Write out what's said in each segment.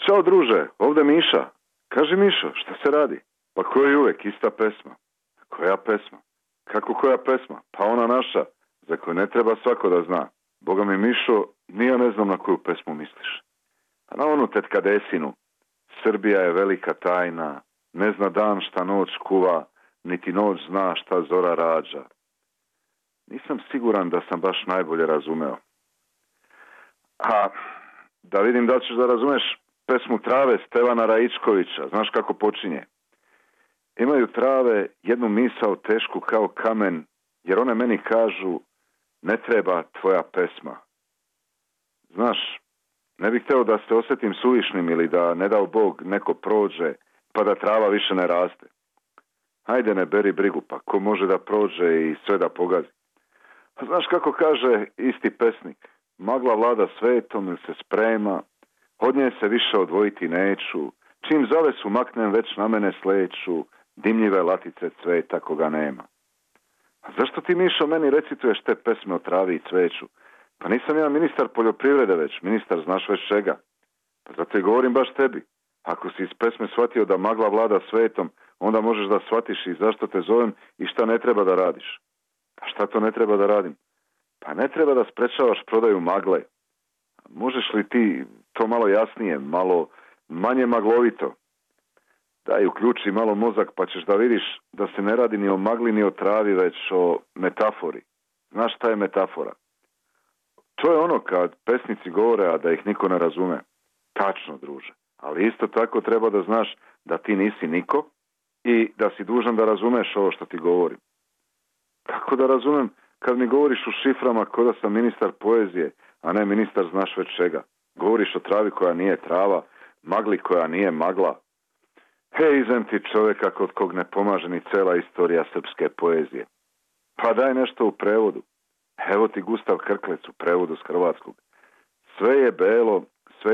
Ćao druže, ovdje Miša. Kaži Mišo, šta se radi? Pa ko je uvek, ista pesma. Koja pesma? Kako koja pesma? Pa ona naša, za koju ne treba svako da zna. Boga mi Mišo, ni ja ne znam na koju pesmu misliš. A na onu tetka Desinu. Srbija je velika tajna, ne zna dan šta noć kuva, niti noć zna šta zora rađa. Nisam siguran da sam baš najbolje razumeo. A da vidim da ćeš da razumeš pesmu Trave Stevana Raičkovića. Znaš kako počinje? Imaju trave jednu misao tešku kao kamen, jer one meni kažu ne treba tvoja pesma. Znaš, ne bih hteo da se osjetim suvišnim ili da ne dao Bog neko prođe pa da trava više ne raste. Hajde ne beri brigu, pa ko može da prođe i sve da pogazi. A znaš kako kaže isti pesnik? Magla vlada svetom ili se sprema, od nje se više odvojiti neću, čim zavesu maknem već na mene sleću, dimljive latice cveta koga nema. A zašto ti Mišo meni recituješ te pesme o travi i cveću? Pa nisam ja ministar poljoprivrede već, ministar znaš već čega. Pa zato i govorim baš tebi. Ako si iz pesme shvatio da magla vlada svetom, onda možeš da shvatiš i zašto te zovem i šta ne treba da radiš. A šta to ne treba da radim? Pa ne treba da sprečavaš prodaju magle. Možeš li ti to malo jasnije, malo manje maglovito? Daj, uključi malo mozak pa ćeš da vidiš da se ne radi ni o magli ni o travi, već o metafori. Znaš šta je metafora? To je ono kad pesnici govore, a da ih niko ne razume. Tačno, druže. Ali isto tako treba da znaš da ti nisi niko i da si dužan da razumeš ovo što ti govorim. Kako da razumem kad mi govoriš u šiframa ko da sam ministar poezije, a ne ministar znaš već čega? Govoriš o travi koja nije trava, magli koja nije magla. Hej, izem ti čovjeka kod kog ne pomaže ni cela istorija srpske poezije. Pa daj nešto u prevodu. Evo ti Gustav Krklec u prevodu s hrvatskog. Sve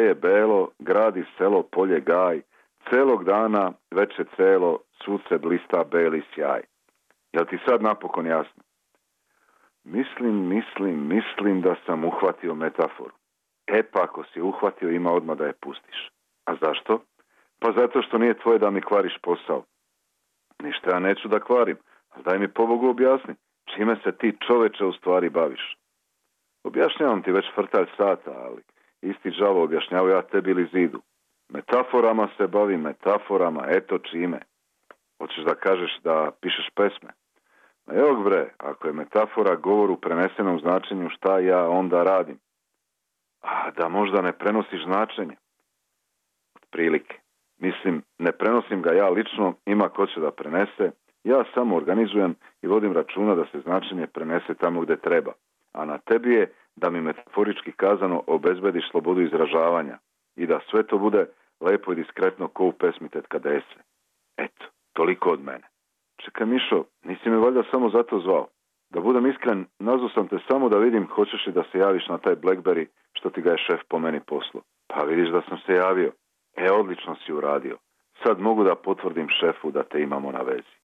je belo, gradi selo, polje, gaj, celog dana, veče celo, svud se blista beli sjaj. Jel ti sad napokon jasno? Mislim da sam uhvatio metaforu. E pa ako si uhvatio, ima odmah da je pustiš. A zašto? Pa zato što nije tvoje da mi kvariš posao. Ništa ja neću da kvarim, ali daj mi pobogu objasni. Čime se ti čoveče u stvari baviš? Objašnjavam ti već frtalj sata, ali isti đavo objašnjavao ja tebi ili zidu. Metaforama se bavim, metaforama, eto čime. Hoćeš da kažeš da pišeš pesme? Ma evo bre, ako je metafora govor u prenesenom značenju, šta ja onda radim? A da možda ne prenosiš značenje? Otprilike. Mislim, ne prenosim ga ja lično, ima ko će da prenese. Ja samo organizujem i vodim računa da se značenje prenese tamo gde treba. A na tebi je da mi metaforički kazano obezbediš slobodu izražavanja i da sve to bude lepo i diskretno ko u pesmi Tetka Dese. Eto, toliko od mene. Čekaj Mišo, nisi me valjda samo zato zvao. Da budem iskren, nazvao sam te samo da vidim hoćeš li da se javiš na taj Blackberry što ti ga je šef po meni poslao. Pa vidiš da sam se javio. Odlično si uradio. Sad mogu da potvrdim šefu da te imamo na vezi.